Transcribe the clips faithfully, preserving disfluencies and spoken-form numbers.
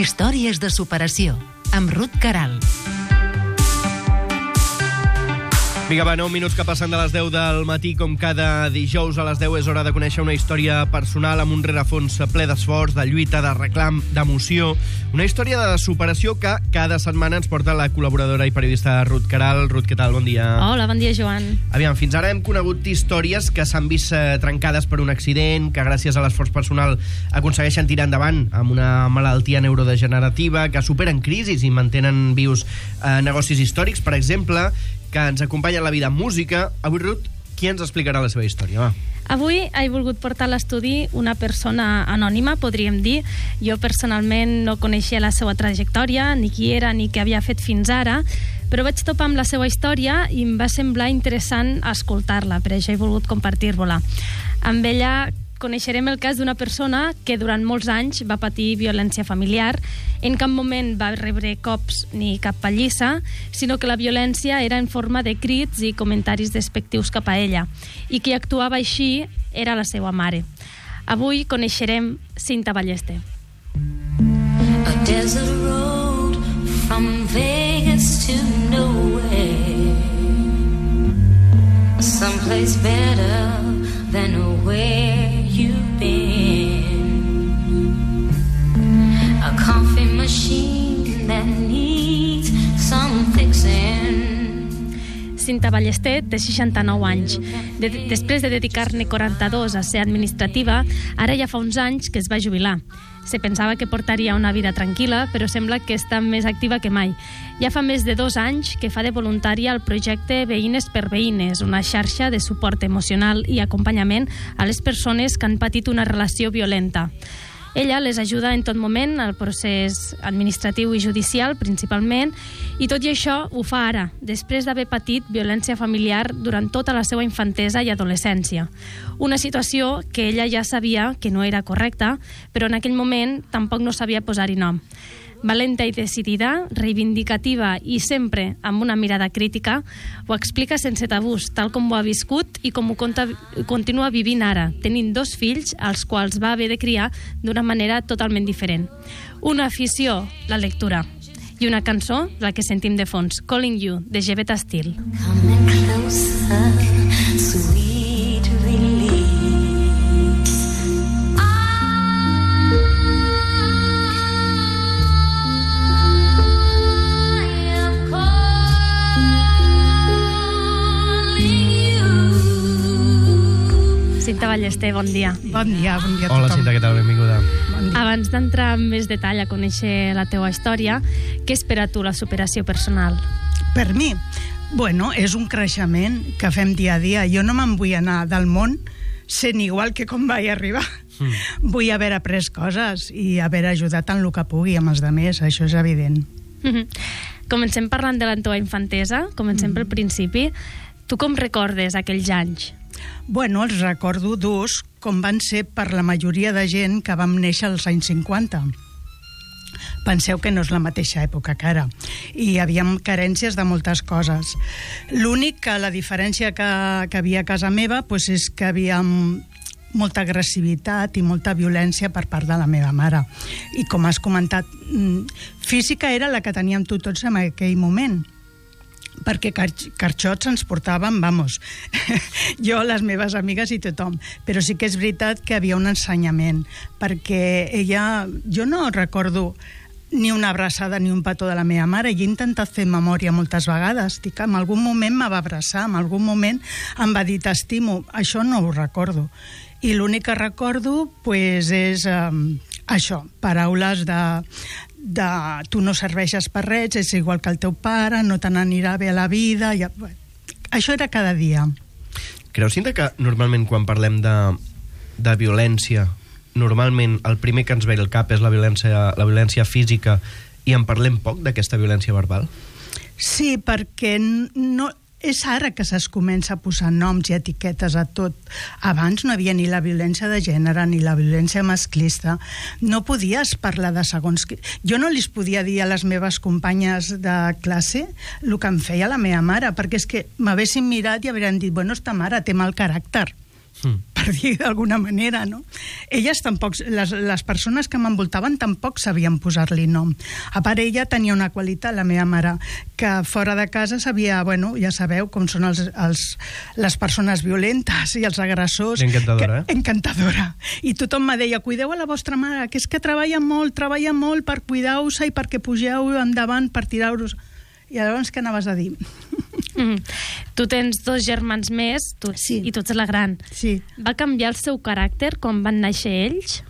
Històries de superació, amb Ruth Caral. Vinga, va, nou minuts que passen de les deu del matí, com cada dijous a les deu és hora de conèixer una història personal amb un rerefons ple d'esforç, de lluita, de reclam, d'emoció. Una història de superació que cada setmana ens porta la col·laboradora i periodista Ruth Caral. Ruth, què tal? Bon dia. Hola, bon dia, Joan. Aviam, fins ara hem conegut històries que s'han vist eh, trencades per un accident, que gràcies a l'esforç personal aconsegueixen tirar endavant amb una malaltia neurodegenerativa, que superen crisis i mantenen vius eh, negocis històrics, per exemple, que ens acompanya en la vida amb música. Avui, Ruth, qui ens explicarà la seva història? Va. Avui he volgut portar a l'estudi una persona anònima, podríem dir. Jo personalment no coneixia la seva trajectòria, ni qui era, ni què havia fet fins ara, però vaig topar amb la seva història i em va semblar interessant escoltar-la, per això he volgut compartir-vos-la. Amb ella coneixerem el cas d'una persona que durant molts anys va patir violència familiar. En cap moment va rebre cops ni cap pallissa, sinó que la violència era en forma de crits i comentaris despectius cap a ella, i qui actuava així era la seva mare. Avui coneixerem Cinta Ballester. A desert road from Vegas to nowhere, someplace better than where you've been, a coffee machine that needs some fixing. Cinta Ballester té seixanta-nou anys. De després de dedicar-ne quaranta-dos a ser administrativa, ara ja fa uns anys que es va jubilar. Se pensava que portaria una vida tranquil·la, però sembla que està més activa que mai. Ja fa més de dos anys que fa de voluntària al projecte Veïnes per Veïnes, una xarxa de suport emocional i acompanyament a les persones que han patit una relació violenta. Ella les ajuda en tot moment al procés administratiu i judicial, principalment, i tot i això ho fa ara, després d'haver patit violència familiar durant tota la seva infantesa i adolescència. Una situació que ella ja sabia que no era correcta, però en aquell moment tampoc no sabia posar-hi nom. Valenta i decidida, reivindicativa i sempre amb una mirada crítica, ho explica sense tabús, tal com ho ha viscut i com ho conta, continua vivint ara, tenint dos fills als quals va haver de criar d'una manera totalment diferent. Una afició, la lectura, i una cançó, la que sentim de fons, Calling You, de Jevetta Steele. Coming closer, sweet release. Cinta Ballester, bon dia. Bon dia, bon dia a tothom. Hola, Cinta, què tal? Benvinguda. Bon dia. Abans d'entrar en més detall a conèixer la teua història, què espera tu la superació personal? Per mi, bueno, és un creixement que fem dia a dia. Jo no me'n vull anar del món sent igual que com vaig arribar. Mm. Vull haver après coses i haver ajudat en el que pugui amb els altres, això és evident. Mm-hmm. Comencem parlant de la teva infantesa, comencem mm. pel principi. Tu com recordes aquells anys? Bueno, els recordo durs, com van ser per la majoria de gent que vam néixer als anys cinquanta. Penseu que no és la mateixa època que ara. I hi havia carències de moltes coses. L'únic que la diferència que, que havia a casa meva pues, és que havia molta agressivitat i molta violència per part de la meva mare. I com has comentat, física era la que teníem tu tots en aquell moment, perquè carxots ens portaven, vamos, jo, les meves amigues i tothom. Però sí que és veritat que havia un ensenyament, perquè ella, jo no recordo ni una abraçada ni un petó de la meva mare, i he intentat fer memòria moltes vegades, dic, en algun moment me va abraçar, en algun moment em va dir t'estimo, això no ho recordo. I l'únic que recordo pues, és eh, això, paraules de de tu no serveixes per res, és igual que el teu pare, no te n'anirà bé a la vida. Ja... Això era cada dia. Creus, Cinta, que normalment quan parlem de, de violència, normalment el primer que ens ve al cap és la violència, la violència física, i en parlem poc d'aquesta violència verbal? Sí, perquè no... és ara que es comença a posar noms i etiquetes a tot. Abans no havia ni la violència de gènere ni la violència masclista. No podies parlar de segons... Jo no li podia dir a les meves companyes de classe el que em feia la meva mare, perquè és que m'haguessin mirat i haurien dit, bueno, esta mare té mal caràcter. mm. per dir d'alguna manera, no? Elles tampoc, les, les persones que m'envoltaven tampoc sabien posar-li nom. A part, ella tenia una qualitat, la meva mare, que fora de casa sabia, bueno, ja sabeu com són els, els, les persones violentes i els agressors. Encantadora, que, eh? Encantadora. I tothom me deia, cuideu a la vostra mare, que és que treballa molt, treballa molt per cuidar-vos i perquè pugeu endavant per tirar-vos. I llavors què anaves a dir? Mm. Tu tens dos germans més tu, sí. i tu ets la gran. Sí. Va canviar el seu caràcter quan van néixer ells?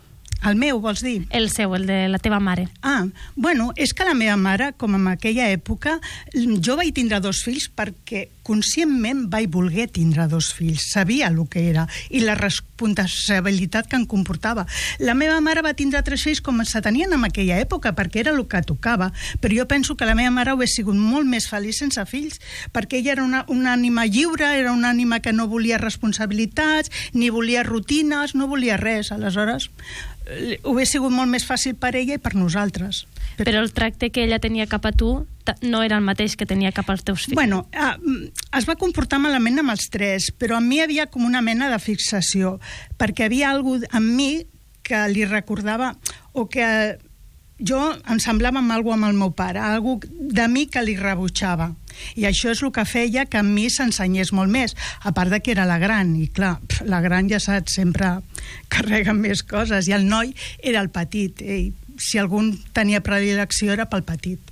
El meu, vols dir? El seu, el de la teva mare. Ah, bueno, és que la meva mare, com en aquella època, jo vaig tindre dos fills perquè conscientment vaig voler tindre dos fills. Sabia el que era i la responsabilitat que em comportava. La meva mare va tindre tres fills com se tenien en aquella època, perquè era el que tocava. Però jo penso que la meva mare hauria sigut molt més feliç sense fills, perquè ella era una, una ànima lliure, era una ànima que no volia responsabilitats, ni volia rutines, no volia res. Aleshores, hauria sigut molt més fàcil per ella i per nosaltres. Però, Però el tracte que ella tenia cap a tu no era el mateix que tenia cap als teus fills. Bueno, eh, es va comportar malament amb els tres, però amb mi hi havia com una mena de fixació, perquè havia alguna cosa amb mi que li recordava, o que jo em semblava amb alguna amb el meu pare, alguna de mi que li rebutjava. I això és el que feia que a mi s'ensenyés molt més, a part de que era la gran, i clar, la gran ja saps, sempre carrega més coses, i el noi era el petit, i si algun tenia predilecció era pel petit.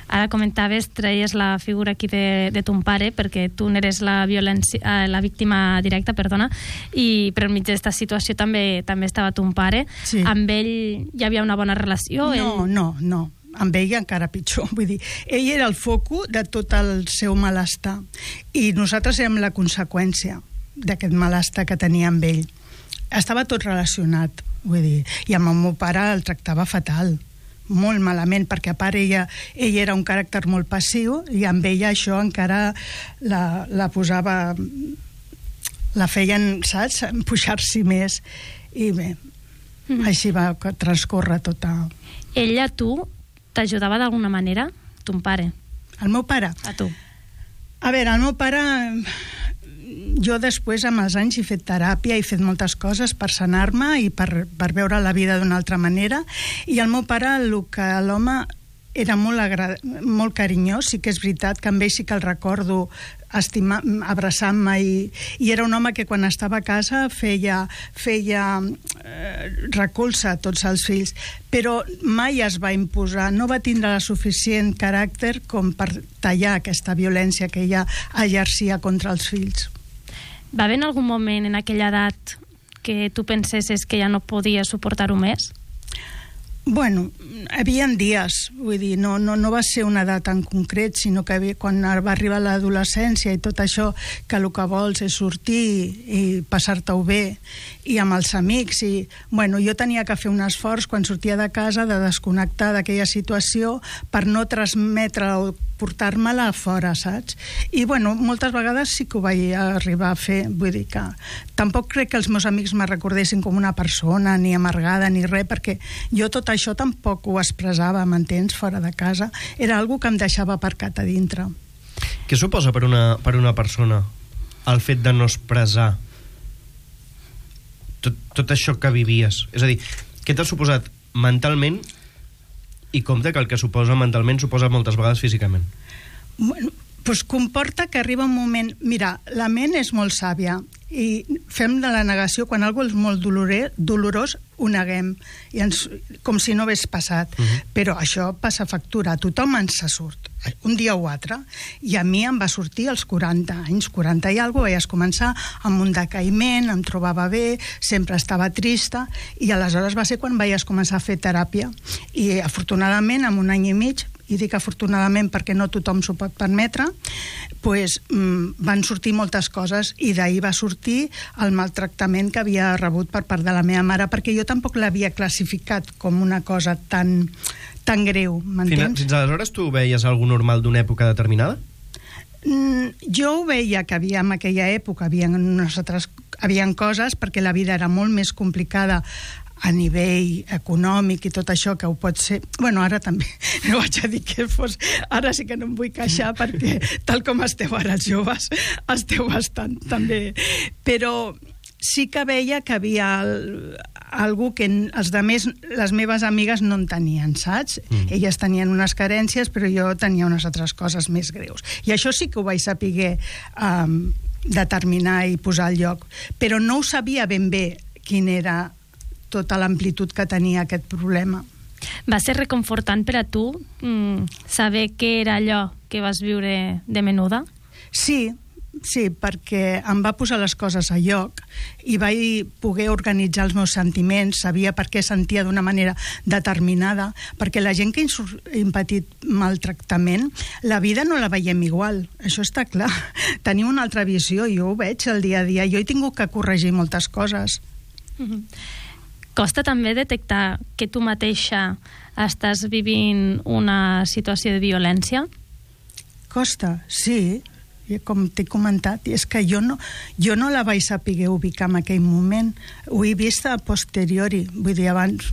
Ara comentaves, treies la figura aquí de, de ton pare, perquè tu n'eres la, violència, eh, la víctima directa, perdona, i per enmig d'aquesta situació també també estava ton pare. Sí. Amb ell hi havia una bona relació? No, ell... no, no. Amb ell encara pitjor, vull dir, ell era el foco de tot el seu malestar i nosaltres érem la conseqüència d'aquest malestar que tenia amb ell. Estava tot relacionat, vull dir, i amb el meu pare el tractava fatal, molt malament, perquè a part ella, ella era un caràcter molt passiu i amb ella això encara la, la posava, la feien, saps, pujar-s'hi més, i bé, mm. així va transcórrer tota... Ella, tu, t'ajudava d'alguna manera? Ton pare? El meu pare? A tu. A veure, el meu pare... Jo després, amb els anys, he fet teràpia, he fet moltes coses per sanar-me i per, per veure la vida d'una altra manera. I el meu pare, el que l'home era molt, agra... molt carinyós, sí que és veritat que amb ell sí que el recordo estimar, abraçant-me, i, i era un home que quan estava a casa feia, feia eh, recolza a tots els fills, però mai es va imposar, no va tindre la suficient caràcter com per tallar aquesta violència que ella exercia contra els fills. Va haver en algun moment en aquella edat que tu pensessis que ja no podies suportar-ho més? Bueno, hi havia dies, vull dir, no, no, no va ser una edat en concret, sinó que havia, quan va arribar l'adolescència i tot això, que el que vols és sortir i passar-te-ho bé, i amb els amics, i bueno, jo tenia que fer un esforç quan sortia de casa de desconnectar d'aquella situació per no transmetre o portar-me-la a fora, saps? I bueno, moltes vegades sí que ho vaig arribar a fer, vull dir que tampoc crec que els meus amics me recordessin com una persona ni amargada ni res, perquè jo tot això tampoc ho expressava, m'entens, fora de casa. Era algo que em deixava aparcat a dintre. Què suposa per una, per una persona el fet de no expressar tot, tot això que vivies? És a dir, què t'ha suposat mentalment, i compte que el que suposa mentalment suposa moltes vegades físicament? Bueno, doncs comporta que arriba un moment... Mira, la ment és molt sàvia i fem de la negació, quan algú és molt doloré, dolorós, ho neguem, i ens, com si no hagués passat. Uh-huh. Però això passa factura, a tothom ens se surt, un dia o altre, i a mi em va sortir als quaranta anys, quaranta i alguna cosa, vaig començar amb un decaïment, em trobava bé, sempre estava trista, i aleshores va ser quan vaig començar a fer teràpia, i afortunadament, en un any i mig, i dic afortunadament perquè no tothom s'ho pot permetre, pues, mm, van sortir moltes coses, i d'ahir va sortir el maltractament que havia rebut per part de la meva mare, perquè jo tampoc l'havia classificat com una cosa tan, tan greu, m'entens? Fins, fins aleshores tu veies algú normal d'una època determinada? Mm, jo ho veia que havia en aquella època, havia, nosaltres, havia coses, perquè la vida era molt més complicada a nivell econòmic i tot això, que ho pot ser... Bueno, ara també, no vaig a dir que fos... Ara sí que no em vull queixar, perquè tal com esteu ara els joves, esteu bastant també... Però sí que veia que havia el, algú que els de més, les meves amigues no en tenien, saps? Mm. Elles tenien unes carències, però jo tenia unes altres coses més greus. I això sí que ho vaig saber um, determinar i posar al lloc. Però no ho sabia ben bé quina era tota l'amplitud que tenia aquest problema. Va ser reconfortant per a tu mm, saber què era allò que vas viure de menuda? Sí, sí, perquè em va posar les coses a lloc i vaig poder organitzar els meus sentiments, sabia per què sentia d'una manera determinada, perquè la gent que hem patit maltractament, la vida no la veiem igual, això està clar. Tenim una altra visió, jo ho veig el dia a dia, jo he tingut que corregir moltes coses. Mm-hmm. Costa també detectar que tu mateixa estàs vivint una situació de violència? Costa, sí, com t'he comentat, i és que jo no, jo no la vaig saber ubicar en aquell moment, ho he vist a posteriori, vull dir, abans,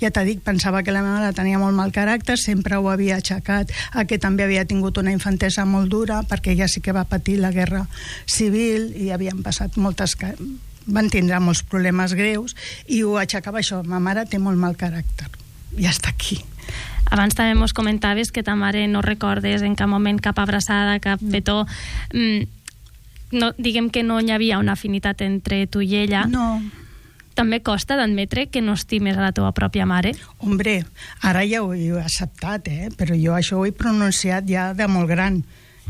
ja t'he dit, pensava que la meva mare tenia molt mal caràcter, sempre ho havia aixecat, a que també havia tingut una infantesa molt dura, perquè ella sí que va patir la guerra civil i havien passat moltes... van tindre molts problemes greus i ho aixecava això, ma mare té molt mal caràcter, i ja està aquí. Abans també mos comentaves que ta mare no recordes en cap moment cap abraçada, cap petó. Mm, no, diguem que no hi havia una afinitat entre tu i ella. No. També costa d'admetre que no estimes a la teva pròpia mare? Hombre, ara ja ho he acceptat, eh? Però jo això ho he pronunciat ja de molt gran.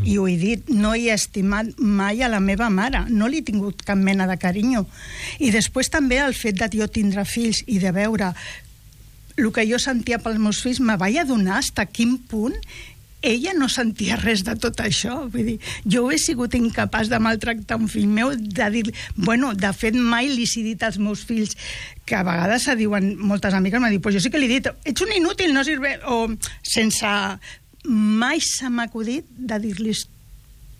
I ho he dit, no he estimat mai a la meva mare, no li he tingut cap mena de carinyo. I després també el fet de jo tindre fills i de veure el que jo sentia pels meus fills, me vaig adonar fins a quin punt ella no sentia res de tot això. Vull dir, jo he sigut incapaç de maltractar un fill meu, de dir, bueno, de fet mai li he dit als meus fills, que a vegades se diuen, moltes amigues m'han dit, pues jo sí que li he dit, ets un inútil, no sirve, o sense... mai se m'ha acudit de dir-los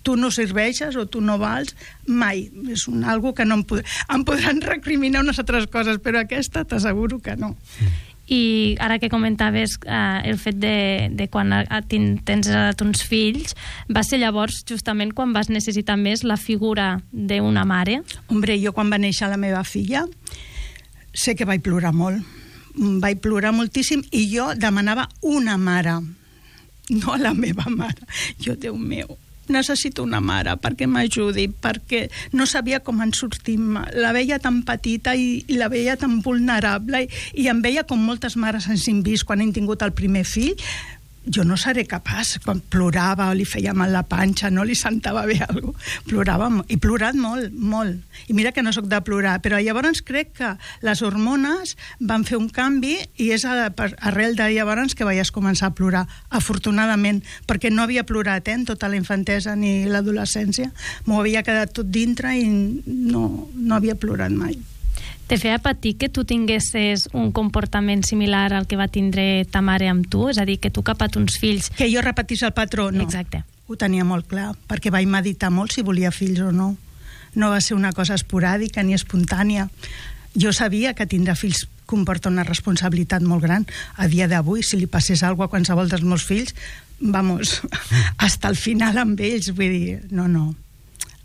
tu no serveixes o tu no vals, mai. És un algo que no em, pod em podran recriminar unes altres coses, però aquesta t'asseguro que no. I ara que comentaves eh, el fet de, de quan tens uns fills, va ser llavors justament quan vas necessitar més la figura d'una mare? Hombre, jo quan va néixer la meva filla sé que vaig plorar molt. Vaig plorar moltíssim i jo demanava una mare, no a la meva mare. Jo, Déu meu, necessito una mare perquè m'ajudi, perquè no sabia com en sortir. La veia tan petita i, i la veia tan vulnerable i, i em veia com moltes mares ens hem vist quan hem tingut el primer fill. Jo no seré capaç, quan plorava o li feia mal la panxa, no li sentava bé alguna cosa, plorava molt, i plorat molt, molt. I mira que no sóc de plorar, però llavors crec que les hormones van fer un canvi i és a, arrel de llavors que veies començar a plorar, afortunadament, perquè no havia plorat eh, en tota la infantesa ni l'adolescència, m'ho havia quedat tot dintre i no, no havia plorat mai. Te feia patir que tu tinguessis un comportament similar al que va tindre ta mare amb tu? És a dir, que tu cap a tons fills... Que jo repetís el patró, no. Exacte. Ho tenia molt clar, perquè vaig meditar molt si volia fills o no. No va ser una cosa esporàdica ni espontània. Jo sabia que tindre fills comporta una responsabilitat molt gran. A dia d'avui, si li passés alguna cosa a qualsevol dels meus fills, vamos, hasta el final amb ells, vull dir, no, no.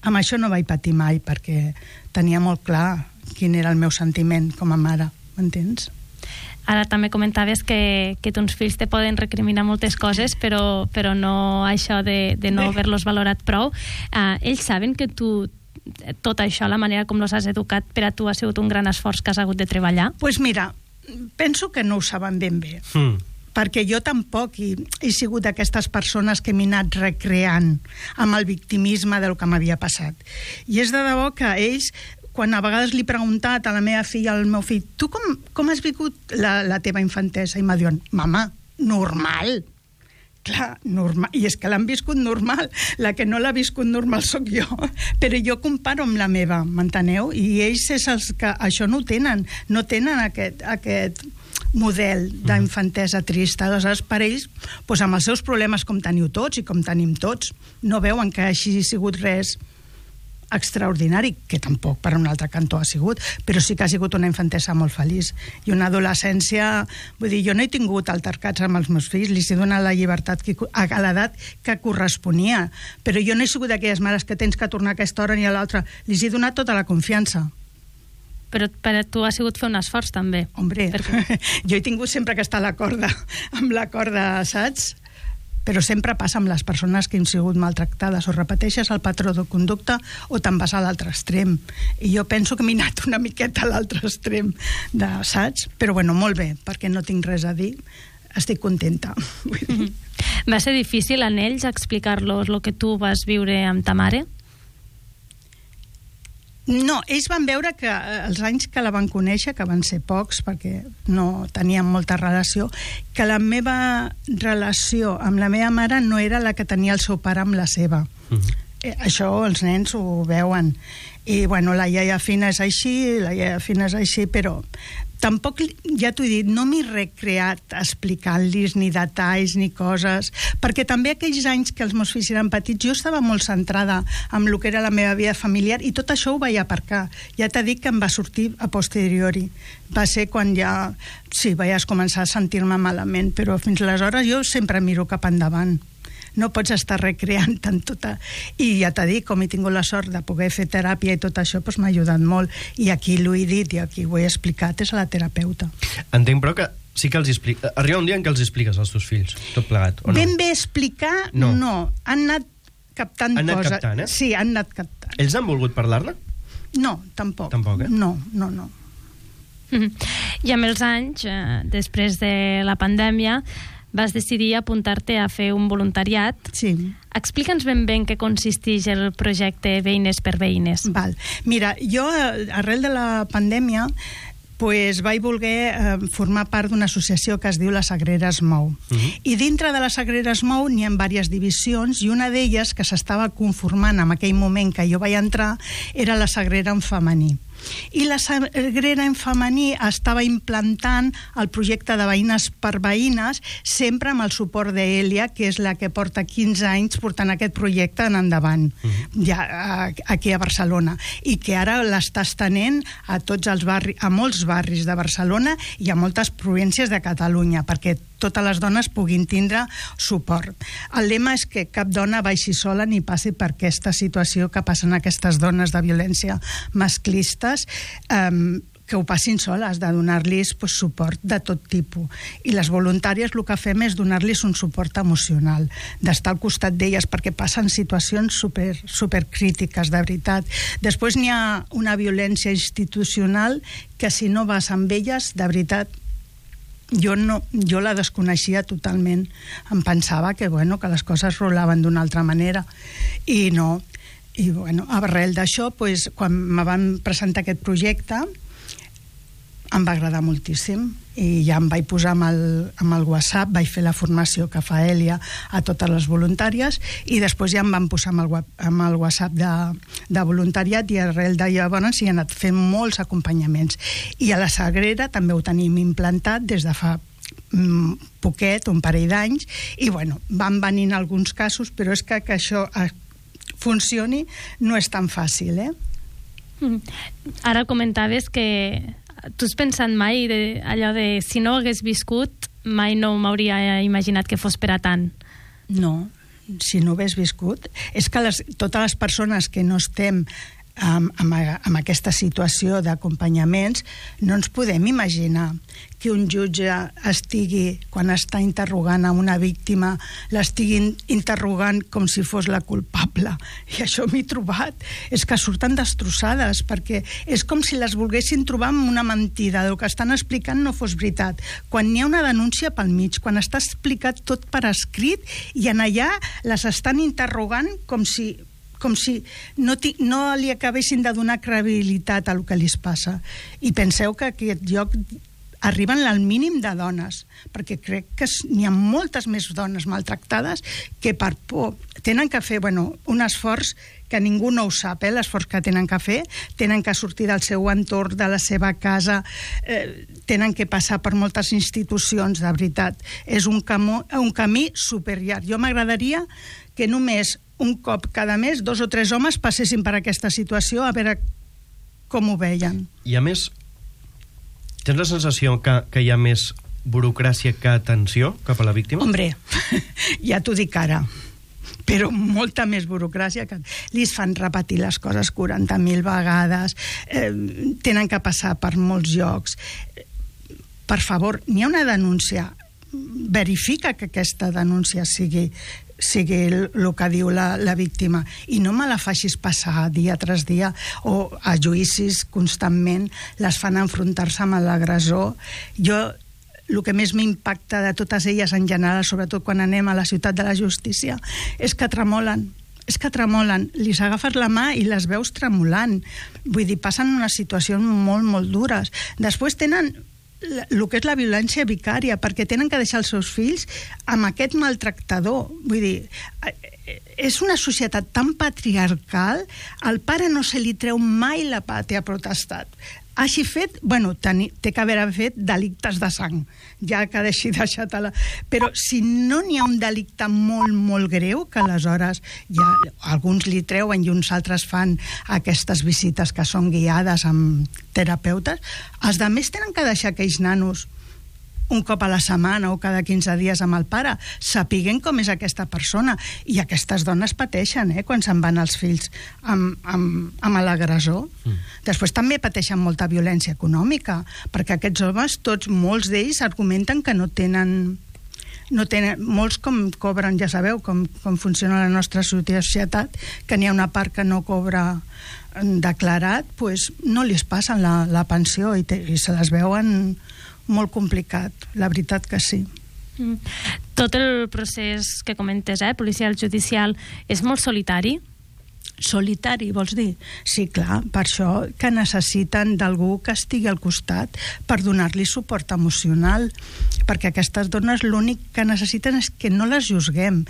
Amb això no vaig patir mai, perquè tenia molt clar quin era el meu sentiment com a mare, m'entens? Ara també comentaves que, que tons fills te poden recriminar moltes coses, però, però no això de, de no haver-los valorat prou. Uh, ells saben que tu, tot això, la manera com los has educat, per a tu ha sigut un gran esforç que has hagut de treballar? Doncs pues mira, penso que no ho saben ben bé. Mm. Perquè jo tampoc he, he sigut d'aquestes persones que m'he anat recreant amb el victimisme del que m'havia passat. I és de debò que ells, quan a vegades li he preguntat a la meva filla, al meu fill, tu com, com has viscut la, la teva infantesa? I m'ha dit, mama, normal. Clar, normal. I és que l'han viscut normal. La que no l'ha viscut normal sóc jo. Però jo comparo amb la meva, m'enteneu? I ells és els que això no ho tenen. No tenen aquest, aquest model d'infantesa trista. Aleshores, per ells, doncs amb els seus problemes com teniu tots i com tenim tots, no veuen que així ha sigut res extraordinari, que tampoc per un altre cantó ha sigut, però sí que ha sigut una infantesa molt feliç i una adolescència, vull dir, jo no he tingut altercats amb els meus fills, li he donat la llibertat que, a l'edat que corresponia, però jo no he sigut d'aquelles mares que tens que tornar a aquesta hora ni a l'altra, li he donat tota la confiança, Però per a tu ha sigut fer un esforç, també. Hombre, Perquè... jo he tingut sempre que estar a la corda, amb la corda, saps? Però sempre passa amb les persones que han sigut maltractades, o repeteixes el patró de conducta o te'n vas a l'altre extrem. I jo penso que m'he anat una miqueta a l'altre extrem, de, saps? Però bueno, molt bé, perquè no tinc res a dir, estic contenta. Vull dir. Mm-hmm. Va ser difícil en ells explicar-los el que tu vas viure amb ta mare? No, ells van veure que els anys que la van conèixer, que van ser pocs perquè no teníem molta relació, que la meva relació amb la meva mare no era la que tenia el seu pare amb la seva. Uh-huh. Eh, això els nens ho veuen. I bueno, la iaia fina és així, la iaia fina és així, però tampoc, ja t'ho he dit, no m'he recreat explicant-los ni detalls ni coses, perquè també aquells anys que els meus fills eren petits jo estava molt centrada en el que era la meva vida familiar i tot això ho vaig aparcar. Ja t'he dit que em va sortir a posteriori. Va ser quan ja, sí, vaig començar a sentir-me malament, però fins aleshores jo sempre miro cap endavant. No pots estar recreant tant tota... I ja t'he dit, com he tingut la sort de poder fer teràpia i tot això, doncs m'ha ajudat molt. I aquí l'ho he dit i aquí ho he explicat, és a la terapeuta. Entenc, però, que sí que els explica... Arriba un dia en què els expliques als teus fills, tot plegat, o no? Ben bé explicar, no. no. Han anat captant han anat coses. Captant, eh? Sí, han anat captant. Ells han volgut parlar-ne? No, tampoc. Tampoc, eh? No, no, no. Mm-hmm. I amb els anys, eh, després de la pandèmia, vas decidir apuntar-te a fer un voluntariat. Sí. Explica'ns ben bé en què consisteix el projecte Veïnes per Veïnes. Val. Mira, jo, arrel de la pandèmia, pues, vaig voler eh, formar part d'una associació que es diu La Sagrera es mou. Uh-huh. I dintre de La Sagrera es mou n'hi ha diverses divisions i una d'elles, que s'estava conformant en aquell moment que jo vaig entrar, era La Sagrera en femení. I la Sagrera en femení estava implantant el projecte de Veïnes per Veïnes, sempre amb el suport d'Elia, que és la que porta quinze anys portant aquest projecte en endavant, uh-huh. ja aquí a Barcelona, i que ara l'està estenent a tots els barris, a molts barris de Barcelona i a moltes províncies de Catalunya, perquè totes les dones puguin tindre suport. El lema és que cap dona baixi sola ni passi per aquesta situació que passen aquestes dones de violència masclistes, um, que ho passin soles, de donar-los pues, suport de tot tipus. I les voluntàries el que fem és donar-los un suport emocional, d'estar al costat d'elles, perquè passen situacions super, super crítiques, de veritat. Després n'hi ha una violència institucional que si no vas amb elles, de veritat, jo, no, jo la desconeixia totalment. Em pensava que, bueno, que les coses rolaven d'una altra manera. I no. I, bueno, arrel d'això, pues, quan me van presentar aquest projecte, em va agradar moltíssim. I ja em vaig posar amb el, amb el WhatsApp, vaig fer la formació que fa Elia a totes les voluntàries i després ja em van posar amb el, amb el WhatsApp de, de voluntariat i arrel de llavors hi he anat fent molts acompanyaments. I a la Sagrera també ho tenim implantat des de fa mm, poquet, un parell d'anys, i bueno, van venint alguns casos, però és que, que això funcioni no és tan fàcil, eh? Mm. Ara comentaves que tu has pensat mai de, allò de si no hagués viscut mai no m'hauria imaginat que fos per a tant? No, si no hagués viscut. És que les, totes les persones que no estem amb, amb, amb aquesta situació d'acompanyaments no ens podem imaginar que un jutge estigui, quan està interrogant a una víctima, l'estigui interrogant com si fos la culpable. I això m'he trobat. És que surten destrossades, perquè és com si les volguessin trobar amb una mentida, el que estan explicant no fos veritat. Quan hi ha una denúncia pel mig, quan està explicat tot per escrit, i en allà les estan interrogant com si com si no, no li acabessin de donar credibilitat a el que li passa. I penseu que aquest lloc arriben al mínim de dones, perquè crec que n'hi ha moltes més dones maltractades que per por tenen que fer, bueno, un esforç que ningú no ho sap, eh, l'esforç que tenen que fer, tenen que sortir del seu entorn, de la seva casa, eh, tenen que passar per moltes institucions, de veritat. És un, camó, un camí superllarg. Jo m'agradaria que només un cop cada mes dos o tres homes passessin per aquesta situació a veure com ho veien. I a més, tens la sensació que, que hi ha més burocràcia que atenció cap a la víctima? Hombre, ja t'ho dic ara. però molta més burocràcia, que li fan repetir les coses quaranta mil vegades, eh, tenen que passar per molts llocs. Per favor, n'hi ha una denúncia, verifica que aquesta denúncia sigui sigui el que diu la, la víctima, i no me la facis passar dia tras dia, o a juïcis constantment les fan enfrontar-se amb l'agressor. Jo, el que més m'impacta de totes elles en general, sobretot quan anem a la ciutat de la justícia, és que tremolen, és que tremolen, li agafes la mà i les veus tremolant. Vull dir, passen unes situacions molt, molt dures. Després tenen el que és la violència vicària, perquè tenen que deixar els seus fills amb aquest maltractador. Vull dir, és una societat tan patriarcal, al pare no se li treu mai la pàtria potestat. Hagi fet, bueno, teni, té que haver fet delictes de sang, ja que deixi deixat la... Però si no n'hi ha un delicte molt, molt greu, que aleshores ja alguns li treuen i uns altres fan aquestes visites que són guiades amb terapeutes, els altres tenen que deixar aquells nanos un cop a la setmana o cada quinze dies amb el pare, sapiguen com és aquesta persona. I aquestes dones pateixen, eh, quan se'n van els fills amb, amb, amb l'agressor. Mm. Després també pateixen molta violència econòmica, perquè aquests homes, tots, molts d'ells argumenten que no tenen... No tenen, molts com cobren, ja sabeu com, com funciona la nostra societat, que n'hi ha una part que no cobra declarat, pues no li es passen la, la pensió i, te, i se les veuen molt complicat, la veritat que sí. Mm. Tot el procés que comentes, eh, policial, judicial, és molt solitari? Solitari, vols dir? Sí, clar, per això que necessiten d'algú que estigui al costat per donar-li suport emocional, perquè aquestes dones l'únic que necessiten és que no les juzguem,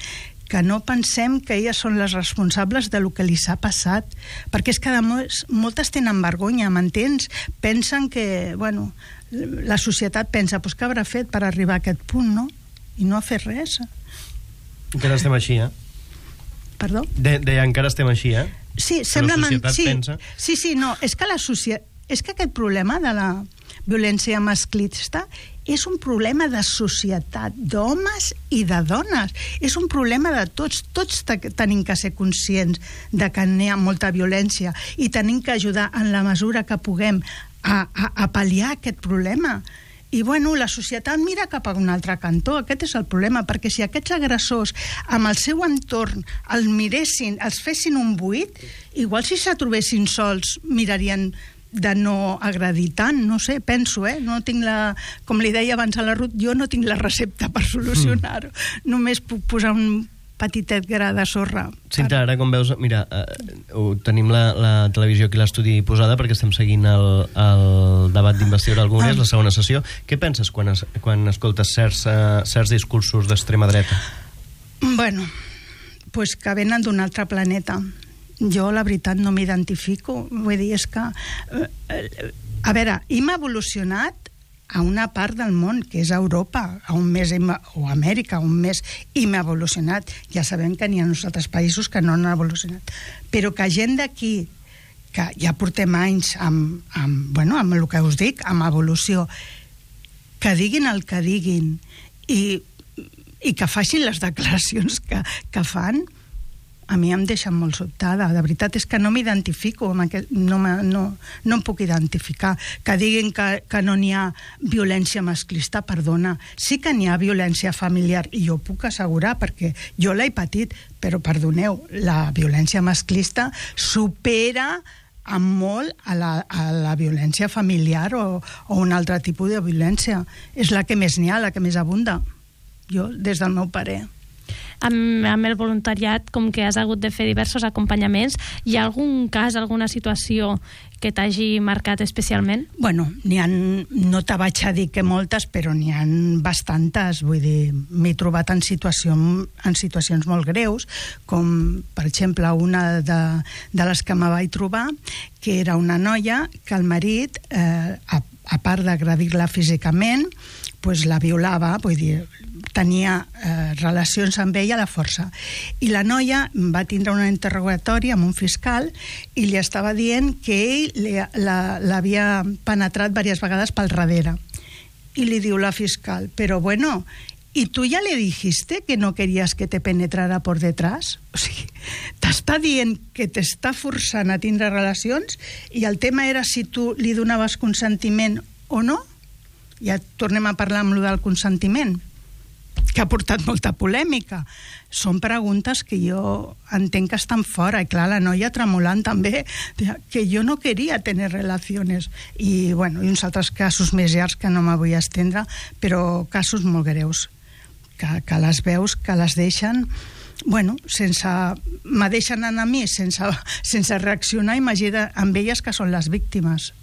que no pensem que elles són les responsables de lo que li s'ha passat, perquè és que molts, moltes tenen vergonya, m'entens? Pensen que, bueno, la societat pensa, pues què haurà fet per arribar a aquest punt, no? I no ha fet res. Encara estem així, eh? Perdó? De, de encara estem així, eh? Sí, sembla... La societat sí, pensa... Sí, sí, no, és que la societat... És que aquest problema de la violència masclista és un problema de societat, d'homes i de dones. És un problema de tots. Tots tenim que ser conscients de que n'hi ha molta violència i tenim que ajudar en la mesura que puguem a, a, a pal·liar aquest problema. I, bueno, la societat mira cap a un altre cantó. Aquest és el problema, perquè si aquests agressors amb el seu entorn els miressin, els fessin un buit, igual si se trobessin sols mirarien de no agredir tant, no sé, penso, eh? No tinc la... Com li deia abans a la Ruth, jo no tinc la recepta per solucionar-ho. Mm. Només puc posar un petitet gra de sorra. Cinta, ara com veus, mira, eh, tenim la, la televisió aquí a l'estudi posada perquè estem seguint el, el debat d'investidura al Congrés, ah. la segona sessió. Què penses quan, es, quan escoltes certs, uh, certs discursos d'extrema dreta? Bueno, pues que venen d'un altre planeta. Jo, la veritat, no m'identifico. Vull dir, és que... Eh, a veure, hem evolucionat a una part del món, que és Europa, on més hem, o Amèrica, on més hem evolucionat. Ja sabem que n'hi ha uns altres països que no han evolucionat. Però que gent d'aquí, que ja portem anys amb, amb, bueno, amb el que us dic, amb evolució, que diguin el que diguin i, i que facin les declaracions que, que fan, a mi em deixa molt sobtada. De veritat és que no m'identifico, amb aquest, no, no, no em puc identificar. Que diguin que, que no n'hi ha violència masclista, perdona. Sí que n'hi ha violència familiar, i jo puc assegurar, perquè jo l'he patit, però perdoneu, la violència masclista supera amb molt a la, a la violència familiar o, o un altre tipus de violència. És la que més n'hi ha, la que més abunda. Jo, des del meu parer. Amb, amb el voluntariat, com que has hagut de fer diversos acompanyaments, hi ha algun cas, alguna situació que t'hagi marcat especialment? Bueno, n'hi ha, no te vaig a dir que moltes, però n'hi ha bastantes. Vull dir, m'he trobat en, situació, en situacions molt greus, com, per exemple, una de, de les que me vaig trobar, que era una noia que el marit, eh, a, a part d'agredir-la físicament, pues la violava, vull dir, tenia eh, relacions amb ella a la força. I la noia va tindre un interrogatori amb un fiscal i li estava dient que ell l'havia penetrat diverses vegades pel darrere. I li diu la fiscal, però bueno, ¿y tú ya le dijiste que no querías que te penetrara por detrás? O sigui, t'està dient que t'està forçant a tindre relacions i el tema era si tu li donaves consentiment o no. Ja tornem a parlar amb lo del consentiment, que ha portat molta polèmica. Són preguntes que jo entenc que estan fora. I clar, la noia tremolant també, que jo no queria tenir relacions. I, bueno, i uns altres casos més llargs que no me vull estendre, però casos molt greus, que, que les veus, que les deixen... Bueno, sense... me deixen anar a mi sense, sense reaccionar, imagina amb elles que són les víctimes.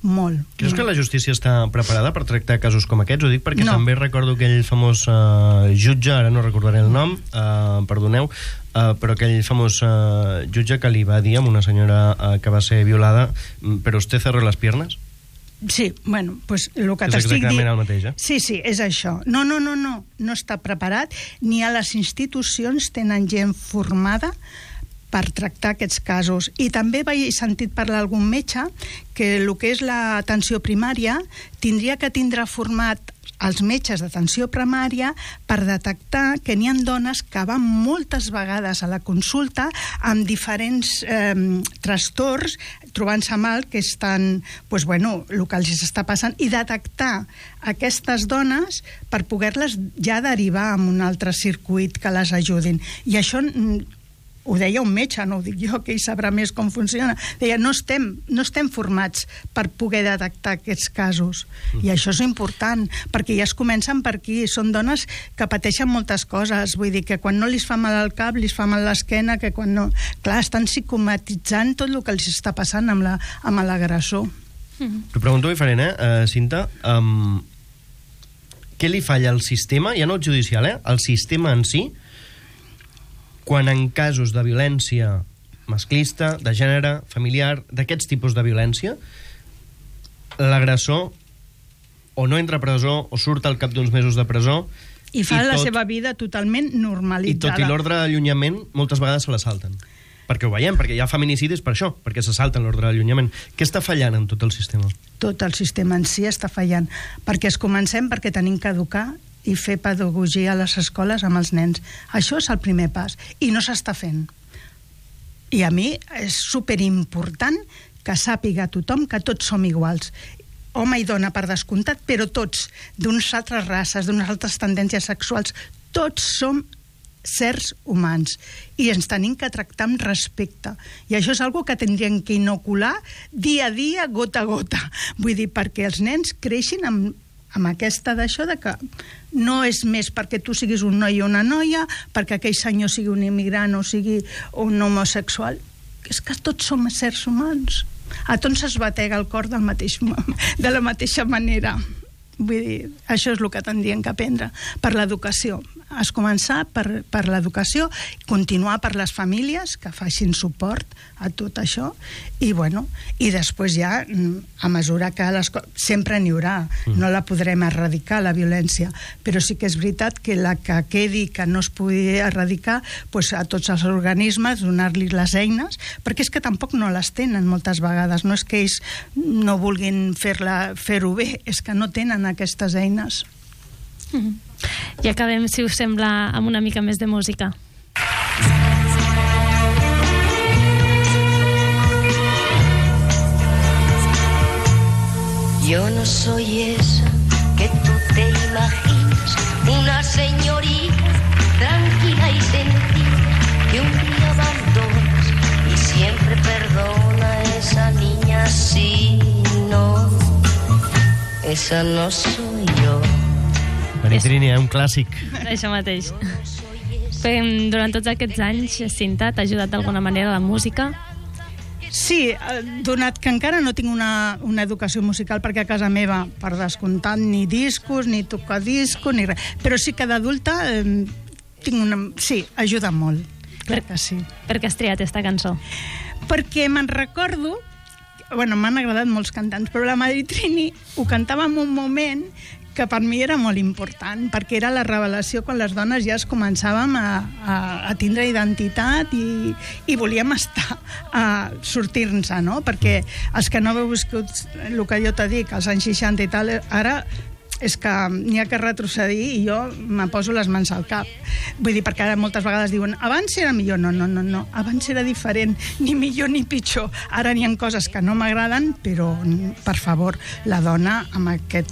Molt. Creus que la justícia està preparada per tractar casos com aquests? Ho dic perquè no. també recordo aquell famós uh, jutge, ara no recordaré el nom, uh, perdoneu, uh, però aquell famós uh, jutge que li va dir a una senyora uh, que va ser violada, però usted cerró les piernas? Sí, bueno, pues el que és t'estic dient... exactament el mateix, eh? Sí, sí, és això. No, no, no, no, no està preparat, ni a les institucions tenen gent formada per tractar aquests casos. I també vaig sentit parlar algun metge que el que és l'atenció primària tindria que tindre format els metges d'atenció primària per detectar que n'hi ha dones que van moltes vegades a la consulta amb diferents eh, trastorns, trobant-se mal, que estan, pues, bueno, el que els està passant, i detectar aquestes dones per poder-les ja derivar a un altre circuit que les ajudin. I això... ho deia un metge, no ho dic jo, que ell sabrà més com funciona. Deia, no estem, no estem formats per poder detectar aquests casos. I això és important, perquè ja es comencen per aquí. Són dones que pateixen moltes coses. Vull dir que quan no li fa mal al cap, li fa mal l'esquena, que quan no... Clar, estan psicomatitzant tot el que els està passant amb la, amb l'agressor. Mm-hmm. T'ho pregunto diferent, eh, uh, Cinta? Um, què li falla al sistema, ja no el judicial, eh? El sistema en si, quan en casos de violència masclista, de gènere, familiar, d'aquests tipus de violència, l'agressor o no entra a presó o surt al cap d'uns mesos de presó i fa i la tot, seva vida totalment i normalitzada. tot i l'ordre d'allunyament moltes vegades se la salten. Perquè ho veiem, perquè hi ha feminicidis per això, perquè se salten l'ordre d'allunyament. Què està fallant en tot el sistema? Tot el sistema en si està fallant. Perquè es comencem perquè tenim que educar i fer pedagogia a les escoles amb els nens. Això és el primer pas, i no s'està fent. I a mi és superimportant que sàpiga tothom que tots som iguals. Home i dona per descomptat, però tots, d'unes altres races, d'unes altres tendències sexuals, tots som certs humans i ens tenim que tractar amb respecte. I això és algo que tindríem que inocular dia a dia, gota a gota. Vull dir, perquè els nens creixin amb amb aquesta d'això de que no és més perquè tu siguis un noi o una noia, perquè aquell senyor sigui un immigrant o sigui un homosexual. És que tots som éssers humans. A tots es batega el cor del mateix, de la mateixa manera. Vull dir, això és el que tindrien que aprendre per l'educació. Es començar per, per l'educació, continuar per les famílies que facin suport a tot això i, bueno, i després ja a mesura que les co- sempre n'hi haurà, no la podrem erradicar la violència, però sí que és veritat que la que quedi que no es pugui erradicar, pues a tots els organismes donar-li les eines, perquè és que tampoc no les tenen moltes vegades, no és que ells no vulguin fer-la, fer-ho bé, és que no tenen aquestes eines. Mm-hmm. I acabem, si us sembla, amb una mica més de música. Yo no soy esa que tú te imaginas, una señorita tranquila y sencilla que un día abandonas y siempre perdona a esa niña. Sí, no, esa no soy yo. Maritrini, eh? Un clàssic. Això mateix. Durant tots aquests anys, Cinta, t'ha ajudat d'alguna manera la música? Sí, donat que encara no tinc una, una educació musical, perquè a casa meva, per descomptat, ni discos, ni tocar discos, ni res. Però sí que d'adulta eh, tinc una... Sí, ajuda molt. Clar que sí. Per què has triat aquesta cançó? Perquè me'n recordo... Bueno, m'han agradat molts cantants, però la Maritrini ho cantava en un moment que per mi era molt important, perquè era la revelació quan les dones ja es començàvem a, a, a tindre identitat i, i volíem estar, a sortir-nos, no? Perquè els que no heu viscut el que jo t'he dit, als anys seixanta i tal, ara és que n'hi ha que retrocedir i jo me poso les mans al cap. Vull dir, perquè ara moltes vegades diuen abans era millor, no, no, no, no. Abans era diferent, ni millor ni pitjor. Ara n'hi ha coses que no m'agraden, però, per favor, la dona amb aquest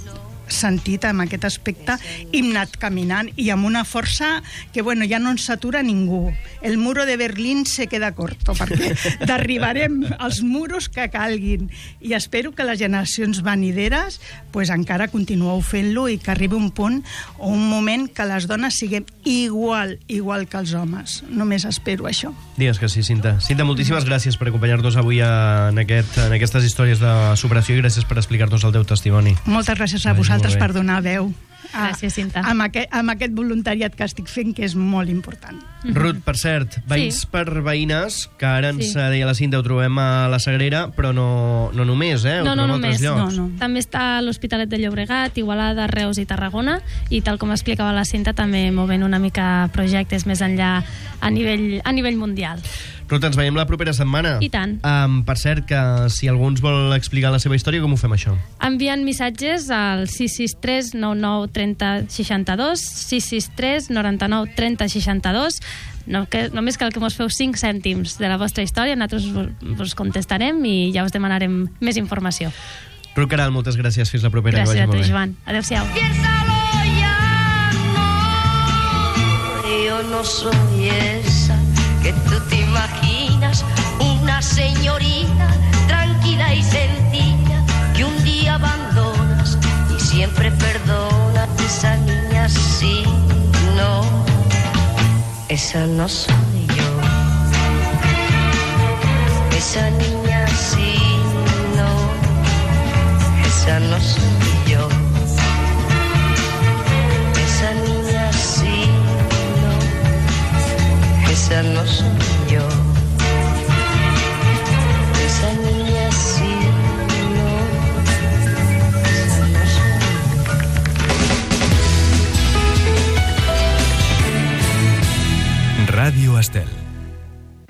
sentit, amb aquest aspecte, hem anat caminant i amb una força que, bueno, ja no ens s'atura ningú. El muro de Berlín se queda corto, perquè derribarem els muros que calguin. I espero que les generacions venideres pues, encara continueu fent-lo i que arribi un punt o un moment que les dones siguem igual, igual que els homes. Només espero això. Digues que sí, Cinta. Cinta, moltíssimes gràcies per acompanyar-nos avui en, aquest, en aquestes històries de superació i gràcies per explicar-nos el teu testimoni. Moltes gràcies a vosaltres per donar veu a, Gràcies, Cinta. amb, aquest, amb aquest voluntariat que estic fent, que és molt important. Mm-hmm. Ruth, per cert, veïns Sí. per veïnes, que ara ens Sí. deia la Cinta, ho trobem a la Sagrera, però no, no només, eh? Ho No, no trobem a altres només. llocs. No, no. També està a l'Hospitalet de Llobregat, Igualada, Reus i Tarragona, i tal com explicava la Cinta, també movent una mica projectes més enllà a nivell, a nivell mundial. Ruth, ens veiem la propera setmana. I tant. Um, per cert, que si algú ens vol explicar la seva història, com ho fem, això? Enviant missatges al sis sis tres nou nou trenta seixanta-dos, sis sis tres noranta-nou trenta seixanta-dos. No, que, només cal que mos feu cinc cèntims de la vostra història, nosaltres vos, vos contestarem i ja us demanarem més informació. Ruth Caral, moltes gràcies. Fins la propera. Gràcies que a vagi tu, molt bé. Joan. Adéu-siau. Piénsalo ya, no, yo no soy esa que tú te imaginas, una señorita tranquila y sencilla que un día abandonas y siempre perdonas. Esa niña sí, no, esa no soy yo. Esa niña sí, no, esa no soy yo. Esa niña sí, no, esa no soy yo. Esa niña sí, no, esa no soy yo. Radio Estel.